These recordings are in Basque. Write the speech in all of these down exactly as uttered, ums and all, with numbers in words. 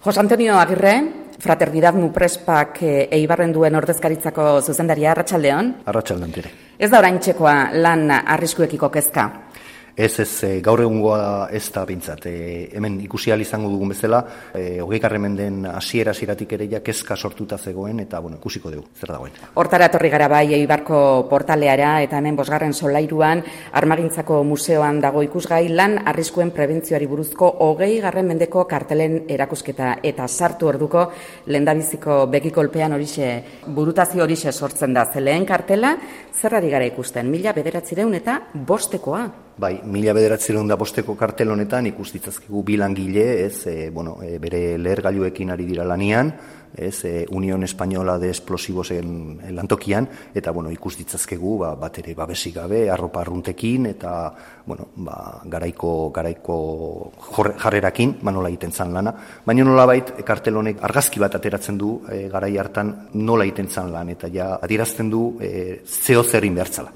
Jose Antonio Agirre, Fraternidad Muprespak Eibarren duen ordezkaritzako zuzendaria, arratsaldeon. Arratsaldeon ere. Ez da oraintzekoa lan arriskuekiko kezka. Ez, ez, gaur egungoa ez da bintzat. E, hemen ikusi ahal izango dugun bezala, e, hogeigarren menden hasiera hasieratik ere ja kezka sortuta zegoen, eta bueno, ikusiko dugu, zer dagoen. Hortara etorri gara bai Eibarko portaleara, eta hemen bosgarren solairuan, Armagintzako museoan dago ikusgai lan arriskuen prebentzioari buruzko hogeigarren mendeko kartelen erakusketa, eta sartu orduko lehendabiziko begikolpean horixe, burutazio horixe sortzen da. Ze lehen kartela, zerrari gara ikusten, mila bederatzireun eta bostekoa. Bai, mila bederatzireun da bosteko kartel honetan ikus ditzazkigu bi langile, ez, e, bueno, e, bere lehergailuekin ari dira lanian, ez, e, Unión Española de Explosivosen lantokian, eta bueno, ikus ditzazkegu ba, bat ere babesik gabe, arropa arruntekin, eta bueno, ba, garaiko, garaiko jarrerakin, ba, nola egiten zan lana. Baina nolabait, kartel honek argazki bat ateratzen du e, garai hartan nola egiten zan lan, eta ja adierazten du e, zeo zerin behartzala.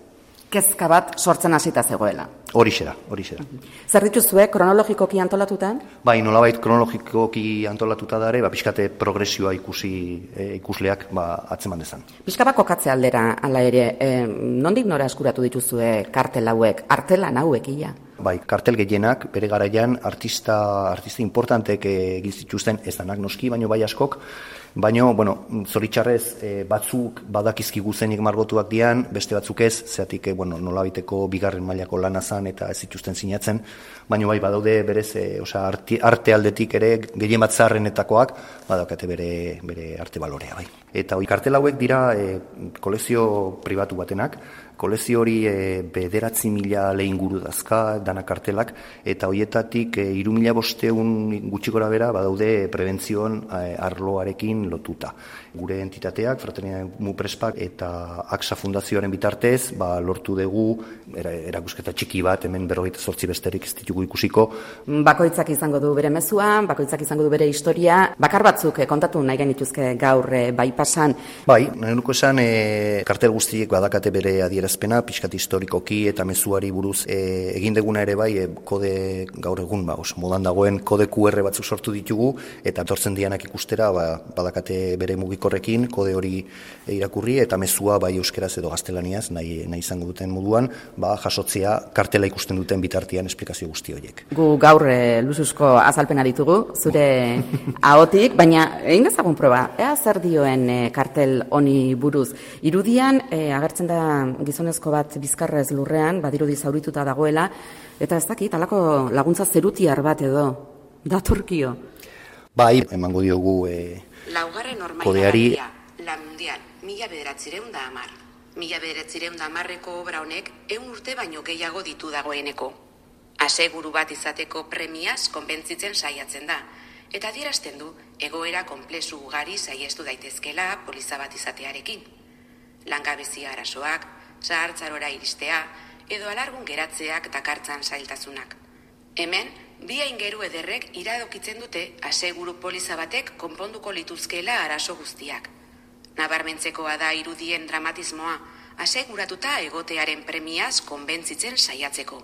Kezka bat sortzen hasita zegoela. Horixe da, horixe da. Zer dituzue kronologikoki antolatuta? Bai, nolabait kronologikoki antolatuta da ere, ba, pixkate progresioa ikusi e, ikusleak ba, atzeman dezan. Pixka bat kokatze aldera, ala ere, e, nondik nora eskuratu dituzue kartel hauek, artelan hauek ia? Bai, kartel gehienak, bere garaian artista, artista importantek egin zituzten, ez danak noski, baino bai askok, baino, bueno, zoritxarrez e, batzuk badakizkigu zenik margotuak dian, beste batzuk ez, zeatik, e, bueno, nolabiteko bigarren mailako lana zan eta ez zituzten sinatzen, baino bai badaude berez, e, osea, arte, arte aldetik ere gehien bat zaharrenetakoak, badakate bere, bere arte balorea, bai. Eta hori kartel hauek dira e, kolezio pribatu batenak, kolezio hori e, bederatzi mila lehinguru dazka, dana kartelak, eta horietatik e, iru mila bosteun gutxi gora bera badaude prebentzioan e, arloarekin lotuta. Gure entitateak, Fraternidad Muprespak eta A X A Fundazioaren bitartez, ba, lortu dugu era, erakusketa txiki bat, hemen berrogeita zortzi besterik ez ditugu ikusiko. Bakoitzak izango du bere mezua, bakoitzak izango du bere historia, bakar batzuk e, kontatu nahi genituzke gaur e, bai pasan. Bai, nahi nuko esan, e, kartel guztiek badakate bere adierazpena, pixkat historikoki eta mezuari buruz e, egin deguna ere bai, e, kode gaur egun, ba, os, modan dagoen kode Q R batzuk sortu ditugu, eta etortzen dianak ikustera, ba, badakate bere mugikorrekin, kode hori irakurri, eta mezua bai euskeraz edo gaztelaniaz, nahi, nahi izango duten moduan, ba, jasotzea kartela ikusten duten bitartean esplikazio guzti horiek. Gu gaur e, luzuzko azalpena ditugu, zure ahotik, baina egin dezagun proba, ea zer dioen e, kartel honi buruz. Irudian, e, agertzen da gizonezko bat bizkarrez lurrean, badirudi zaurituta dagoela, eta ez dakit, halako laguntza zerutiar bat edo, datorkio. Bai, emango diogu e, Laugarren kodeari. La Mundial, mila bederatzireun da amar. Mila bederatzireun da amarreko obra honek ehun urte baino gehiago ditu dagoeneko. Aseguru bat izateko premiaz konbentzitzen saiatzen da, eta adierazten du egoera konplexu ugari saiestu daitezkela poliza bat izatearekin. Langabezia arazoak, zahartzarora iristea, edo alargun geratzeak dakartzan zailtasunak. Hemen, bi aingeru ederrek iradokitzen dute aseguru poliza batek konponduko lituzkeela arazo guztiak. Nabarmentzekoa da irudien dramatismoa, aseguratuta egotearen premiaz konbentzitzen saiatzeko.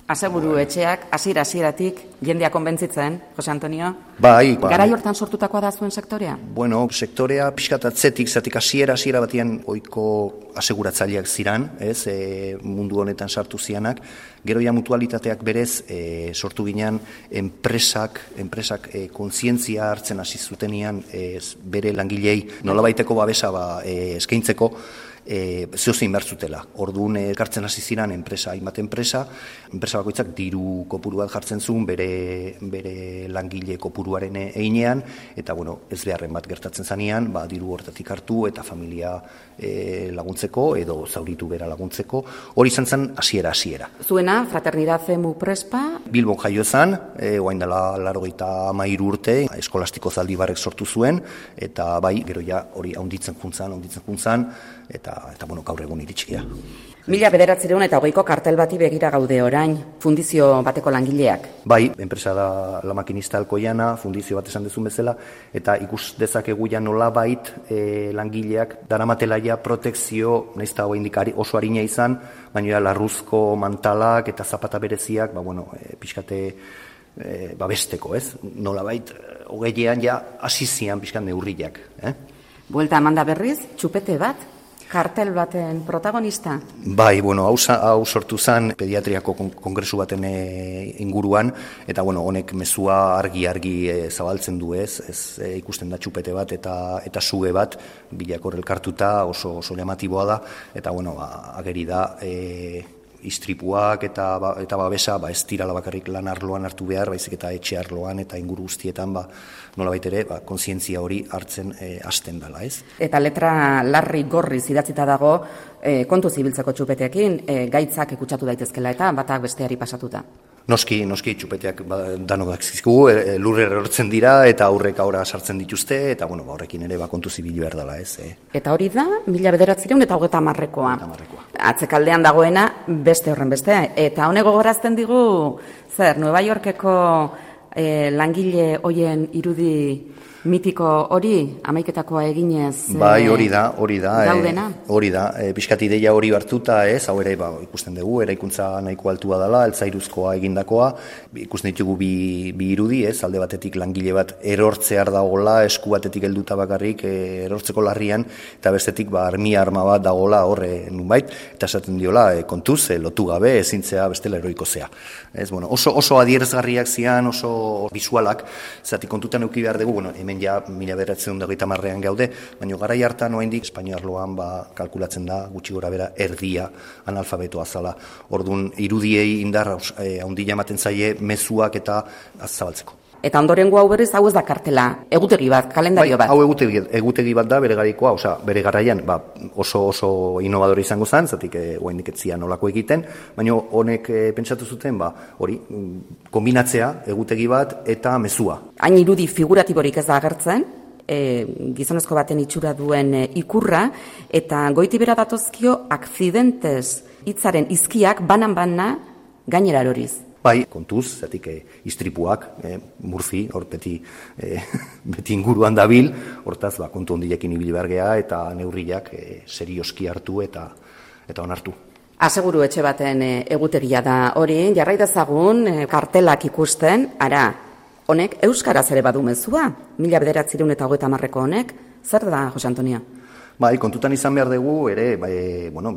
Aseguru etxeak, hasiera hasieratik jendea konbentzitzen, Jose Antonio? Bai, bai. Garai hortan sortutakoa da zuen sektorea? Bueno, sektorea pixkat atzetik, zatik hasiera hasiera batian ohiko aseguratzaileak ziran, ez, e, mundu honetan sartu zianak, gero ja mutualitateak berez e, sortu ginean enpresak, enpresak e, kontzientzia hartzen hasi zutenian e, bere langilei nolabaiteko babesa ba, e, eskaintzeko, E, zehozein behar zutela. Orduan elkartzen hasi ziren enpresa, hainbat enpresa, enpresa bakoitzak diru kopuru bat jartzen zuen bere, bere langile kopuruaren einean, eta bueno, ez beharren bat gertatzen zanean, ba, diru hortatik hartu eta familia e, laguntzeko edo zauritu bera laguntzeko, hori izan zen hasiera hasiera. Zuena, Fraternidad Muprespa? Bilbon jaio zen, e, oain dela laurogeita hamairu urte, eskolastiko Zaldibarrek sortu zuen, eta bai, gero ja hori haunditzen juntzan, haunditzen juntzan, eta eta bueno, gaur egun iritsi da. Mila bederatzireun eta hogeiko kartel bati begira gaude orain, fundizio bateko langileak. Bai, enpresa da La Maquinista Alcoyana, fundizio bat esan dezun bezala, eta ikus dezakegu ja nolabait e, langileak daramatela ja protekzio, nahiz eta oraindik oso arina izan, baina ja larruzko mantalak eta zapata bereziak, ba bueno, e, pixkate e, babesteko, ez? Nolabait, hogeian ja hasi zian pixkan neurriak, eh? Buelta emanda berriz, txupete bat, kartel baten protagonista? Bai, bueno, hau, hau sortu zen pediatriako kongresu baten e, inguruan, eta bueno, honek mezua argi-argi e, zabaltzen du ez, ez e, ikusten da txupete bat eta eta suge bat, bilakor elkartuta oso, oso llamatiboa da, eta bueno, ba, ageri da, e, istripuak eta ba, eta babesa ba ez dirala bakarrik lan arloan hartu behar, baizik eta etxe arloan eta inguru guztietan ba nolabait ere ba kontzientzia hori hartzen e, hasten dela, ez? Eta letra larri gorriz idatzita dago e, kontu zibiltzeko txupeteekin, e, gaitzak ikutsatu daitezkela eta batak besteari pasatuta. Noski, noski txupeteak ba, danok dakizkigu, e, lurre erortzen dira eta aurrek aurra sartzen dituzte eta bueno, ba horrekin ere ba kontu zibil behar dela, ez? E. Eta hori da mila bederatziehun eta hogeita hamarrekoa. Atzekaldean dagoena beste horren beste, eta honek gogorazten digu zer, Nueva Yorkeko e, langile hoien irudi mitiko hori, hamaiketakoa eginez bai, hori da, hori da, daudena. E, hori da, e, pixkat ideia hori hartuta, ez, hau ere, ba, ikusten dugu, eraikuntza nahiko altua dela, altzairuzkoa egindakoa, ikusten ditugu bi, bi irudi, ez, alde batetik langile bat erortzear dagola, esku batetik helduta bakarrik e, erortzeko larrian, eta bestetik, ba, armia arma bat dagola horre nunbait, eta esaten diola, e, kontuz, e, lotu gabe, ezintzea bestela heroiko zea. Ez, bueno, oso, oso adierazgarriak zian, oso visualak, zati kontutan euki behar dugu, bueno, hemen ja mila bederatziehun eta hogeita hamarrean gaude, baina garai hartan oraindik Espainia arloan ba kalkulatzen da gutxi gora bera erdia analfabetoa zala. Ordun irudiei indar handia ematen zaie mezuak eta zabaltzeko. Eta ondorengo hau berriz, hau ez da kartela, egutegi bat, kalendario bat. Bai, hau egutegi, egutegi bat da bere garaikoa, osea, bere garaian ba, oso oso innovadore izango zen, zatik eh, oraindik ez zian nolako egiten, baina honek eh, pentsatu zuten, ba, hori, kombinatzea egutegi bat eta mezua. Hain irudi figuratiborik ez da agertzen, e, gizonezko baten itxura duen e, ikurra, eta goiti bera datozkio akzidentez hitzaren izkiak banan-bana gainera eroriz. Bai, kontuz, zatik eh, istripuak, eh, Murphy, hor beti, eh, beti inguruan dabil, hortaz, ba, kontu hondilekin ibili behar gea eta neurriak eh, serioski hartu eta eta onartu. Aseguru etxe baten eh, egutegia da hori, jarrai dezagun eh, kartelak ikusten, ara, honek euskaraz ere badu mezua, mila bederatziehun eta hogeita hamarreko honek, zer da, Jose Antonio? Bai, kontutan izan behar dugu, ere, bai, bueno,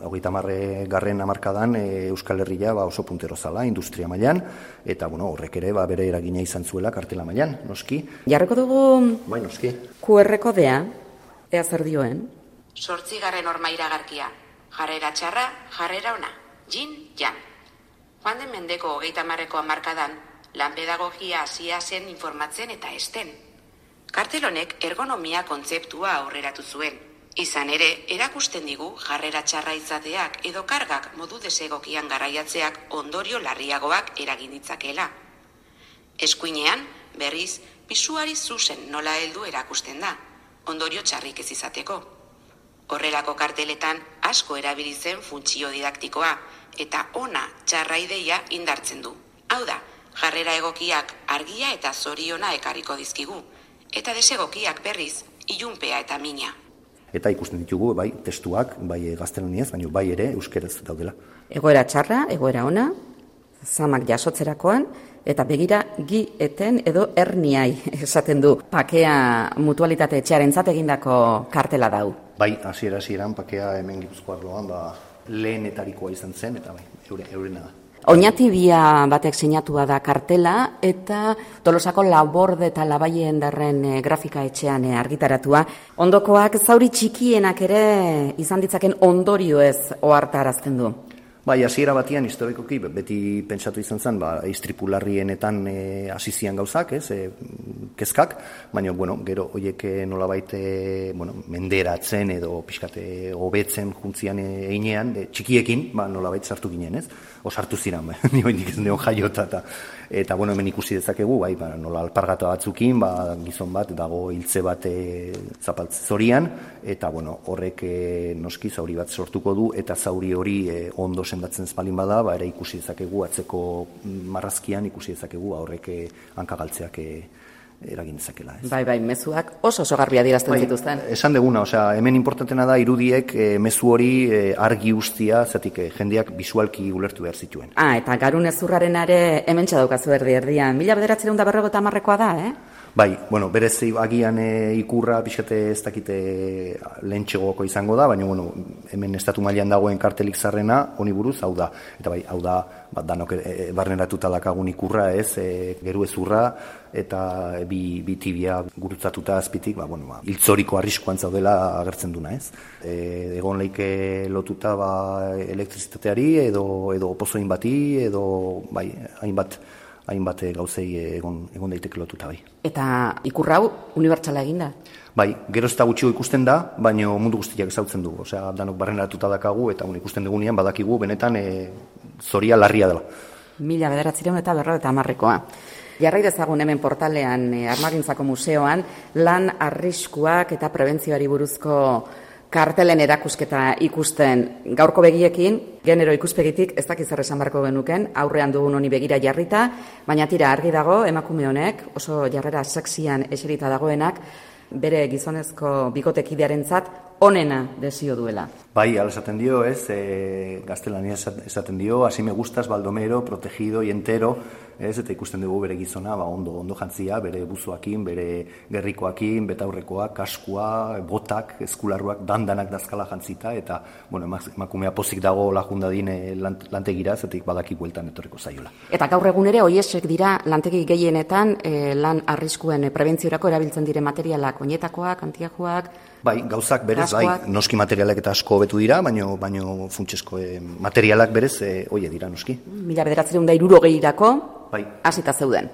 hogeita hamarre garren hamarkadan e, Euskal Herria ba, oso puntero zala, industria mailan, eta bueno, horrek ere ba, bere eragina izan zuela kartela mailan, noski. Jarreko dugu bai, noski. Q R kodea, ea zer dioen? Sortzigarren horma iragarkia, jarrera txarra, jarrera ona, jin, jan. Joan den mendeko hogeita hamarreko hamarkadan, lan pedagogia hasia zen informatzen eta esten. Kartel honek ergonomia kontzeptua aurreratu zuen. Izan ere, erakusten digu jarrera txarra izateak edo kargak modu desegokian garaiatzeak ondorio larriagoak eragin ditzakela. Eskuinean, berriz, pisuari zuzen nola heldu erakusten da, ondorio txarrik ez izateko. Horrelako karteletan asko erabili zen funtzio didaktikoa eta ona txarra ideia indartzen du. Hau da, jarrera egokiak argia eta zoriona ekarriko dizkigu, eta desegokiak berriz, ilunpea eta mina. Eta ikusten ditugu, bai, testuak, bai gaztelaniaz, baina bai ere euskeraz daudela. Egoera txarra, egoera ona, zamak jasotzerakoan, eta begira gi eten edo herniai esaten du. Pakea mutualitate etxearentzat egindako kartela dau. Bai, hasiera hasieran pakea hemen Gipuzkoa arloan, ba, lehenetarikoa izan zen, eta bai, eure, eurena da. Oñatibia batek sinatua da kartela eta Tolosako Laborde eta Labaien darren e, grafika etxean e, argitaratua. Ondokoak zauri txikienak ere izan ditzaken ondorioez ohartarazten du. Bai, hasiera batian historikoki beti pentsatu izan zen, ba istripularrienetan hasi e, zian gauzak, ez, e, kezkak, baina bueno, gero hoiek nolabait e, bueno, menderatzen edo pixkate hobetzen juntzian einean, e, txikiekin, ba nolabait sartu ginen, ez? O sartu ziren, ba, ni oraindik ez neon jaiota eta eta bueno, hemen ikusi dezakegu, bai, ba, nola alpargata batzukin, ba, gizon bat dago hiltze bat e, zapaltze zorian eta bueno, horrek e, noski zauri bat sortuko du eta zauri hori e, ondo sendatzen espalin bada, ba, ere ikusi dezakegu atzeko marrazkian ikusi dezakegu horrek hankagaltzeak e, eragin dezakela. Ez? Bai, bai, mezuak oso oso garbi adierazten bai, zituzten. Esan deguna, osea, hemen importantena da irudiek e, mezu hori e, argi ustia, zatik e, jendeak bisualki ulertu behar zituen. Ah, eta garun ezurraren ere hementsa daukazu erdi erdian. Mila bederatziehun eta berrogeita hamarrekoa da, eh? Bai, bueno, berez agian e, ikurra pixkate ez dakite lehentxegoko izango da, baina bueno, hemen estatu mailan dagoen kartelik zarrena honi buruz hau da. Eta bai, hau da, bat danok e, barneratuta dakagun ikurra, ez, e, geru ezurra, eta e, bi, bi tibia gurutzatuta azpitik, ba, bueno, ba, hiltzoriko arriskuan zaudela agertzen duna, ez. E, egon leike lotuta ba, elektrizitateari, edo, edo pozoin bati, edo bai, hainbat, hainbat gauzei egon, egon daiteke lotuta bai. Eta ikurra hau unibertsala eginda? Bai, gero ez da gutxio ikusten da, baina mundu guztiak ezautzen du. Osea, danok barreneratuta dakagu eta un, ikusten dugunean badakigu benetan e, zoria larria dela. Mila bederatziehun eta berrogeita hamarrekoa. Jarrai dezagun hemen portalean e, Armagintzako museoan lan arriskuak eta prebentzioari buruzko kartelen erakusketa ikusten. Gaurko begiekin, genero ikuspegitik ez dakiz zer esan beharko genuken, aurrean dugun honi begira jarrita, baina tira argi dago emakume honek, oso jarrera sexian eserita dagoenak, bere gizonezko bikotekidearentzat onena desio duela. Bai, ala esaten dio, ez, e, gaztelania esaten dio, así me gustas, baldomero, protegido y entero, ez, eta ikusten dugu bere gizona, ba, ondo, ondo jantzia, bere buzoakin, bere gerrikoakin, betaurrekoak, kaskua, botak, eskularruak, dandanak dazkala jantzita, eta, bueno, emakumea pozik dago lajundadin lantegira, zetik badaki bueltan etorreko zaiola. Eta gaur egun ere, hoiesek dira lantegi gehienetan e, lan arriskuen prebentziorako erabiltzen dire materialak, oinetakoak, antiajoak, bai, gauzak berez, bai, noski materialak eta asko hobetu dira, baino, baino funtsesko eh, materialak berez, eh, oie dira noski. Mila bederatziehun eta hirurogeirako, bai, hasita zeuden.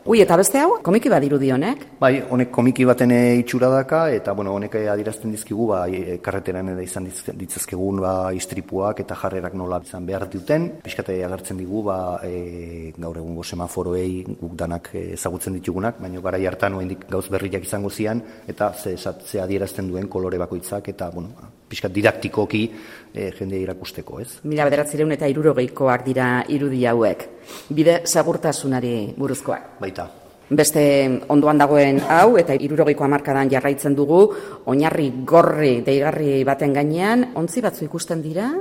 Ui, eta beste hau, komiki bat dirudi honek? Bai, honek komiki baten itxura daka, eta bueno, honek adierazten dizkigu, ba, karreteran eda izan ditzazkegun ba, istripuak eta jarrerak nola izan behar duten. Piskate agertzen digu, ba, e, gaur egungo semaforoei guk danak ezagutzen ditugunak, baina garai hartan oraindik gauz berriak izango zian, eta ze, ze adierazten duen kolore bakoitzak, eta bueno, piskat didaktikoki e, jende irakusteko, ez? Mila bederatziehun eta hirurogeikoak dira irudi hauek. Bide segurtasunari buruzkoak. Baita. Beste ondoan dagoen hau, eta hirurogeiko hamarkadan jarraitzen dugu, oinarri gorri deigarri baten gainean, ontzi batzu ikusten dira.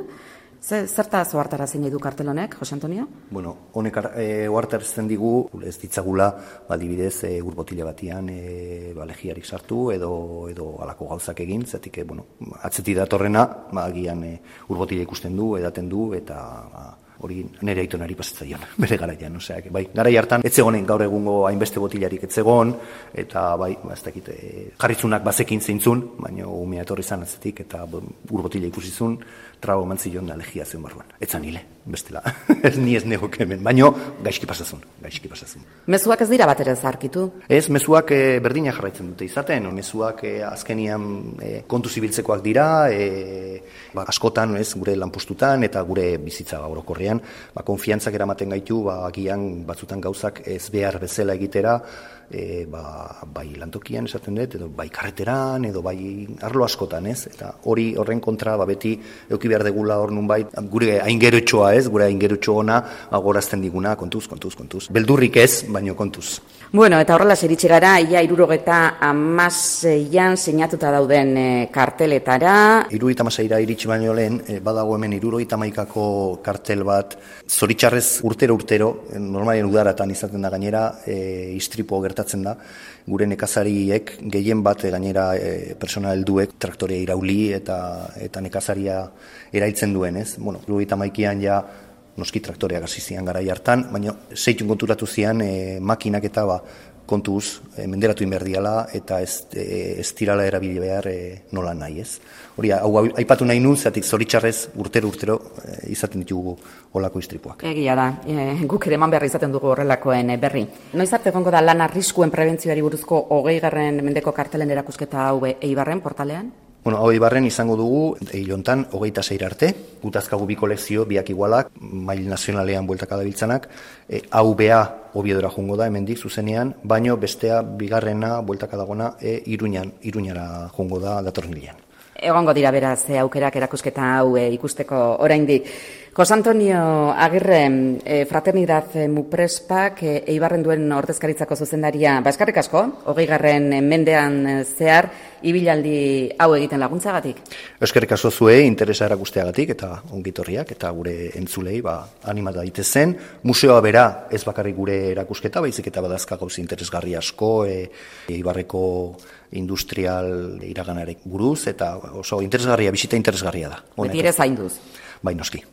Zerta ohartarazten nahi du kartel honek, Jose Antonio? Bueno, honek e, ohartarazten digu, ez ditzagula, adibidez, e, ur botila batian e, ba, legiarik sartu edo edo halako gauzak egin, zetik, e, bueno, atzeti datorrena, ba, agian e, ur botila ikusten du, edaten du, eta ba, hori nire aitonari pasatzaion, bere garaian, osea, bai, garai hartan etzegonen gaur egungo hainbeste botilarik etzegon, eta bai, ba, ez dakit, e, jarritzunak bazekin zeintzun, baina umea etorri izan atzetik, eta ur botila ikusizun, trago mantzion da legia zen barruan. Etzan hile, bestela, ez ni ez negok hemen, baina gaizki pasazun, gaizki pasazun. Mezuak ez dira bat ere zarkitu? Ez, mezuak e, berdina jarraitzen dute izaten, mezuak e, azkenian e, kontu zibiltzekoak dira, e, ba, askotan, ez, gure lanpostutan eta gure bizitza orokorrean, ba, konfiantzak eramaten gaitu, ba, agian batzutan gauzak ez behar bezala egitera, e, ba, bai lantokian esaten dut, edo bai karreteran, edo bai arlo askotan, ez, eta hori horren kontra, ba, beti euki behar degula hor nunbait, gure aingerotxoa, ez, gure aingerotxo ona agorazten diguna, kontuz, kontuz, kontuz. Beldurrik ez, baino kontuz. Bueno, eta horrela iritsi gara, ia hirurogeta hamaseian sinatuta dauden e, karteletara. Hirurogeita hamaseira iritsi baino lehen, e, badago hemen hirurogeita hamaikako kartel bat, zoritxarrez urtero-urtero, normalen udaratan izaten da gainera, e, istripo gertatzen da, gure nekazariek gehien bat e, gainera e, persona helduek traktorea irauli eta eta nekazaria erailtzen duen, ez? Bueno, hirurogeita hamaikan ja noski traktoreak hasi zian garai hartan, baina zeitun konturatu zian e, makinak eta ba, kontuz e, menderatu inberdiala eta ez, e, ez tirala erabili behar e, nola nahi, ez? Hori, hau aipatu nahi nun, zatik zoritxarrez urtero-urtero e, izaten ditugu olako istripuak. Egia da, e, guk ere eman behar izaten dugu horrelakoen e, berri. Noiz arte egongo da lan arriskuen prebentzioari buruzko hogeigarren mendeko kartelen erakusketa hau Eibarren portalean? Bueno, hau Eibarren izango dugu, hilontan, hogeita zeir arte, gutazkagu bi kolekzio, biak igualak, mail nazionalean bueltaka dabiltzanak, e, hau bea Obiedora jungo da, hemendik zuzenean, baino bestea bigarrena bueltaka dagona, e, Iruñan, Iruñara jungo da datorren hilean. Egongo dira beraz, e, aukerak erakusketa hau e, ikusteko oraindik. Jose Antonio Agirre, eh, Fraternidad Muprespak, eh, Eibarren duen ordezkaritzako zuzendaria, ba, eskerrik asko, hogei garren mendean zehar, ibilaldi hau egiten laguntzagatik. Eskerrik asko zuei, interesa erakusteagatik eta ongitorriak eta gure entzulei ba, animata daitezen. Museoa bera ez bakarrik gure erakusketa, baizik eta badazka gauza interesgarri asko, e, Eibarreko industrial iraganarek buruz, eta oso interesgarria, bisita interesgarria da. Beti ere zainduz. Bai, noski.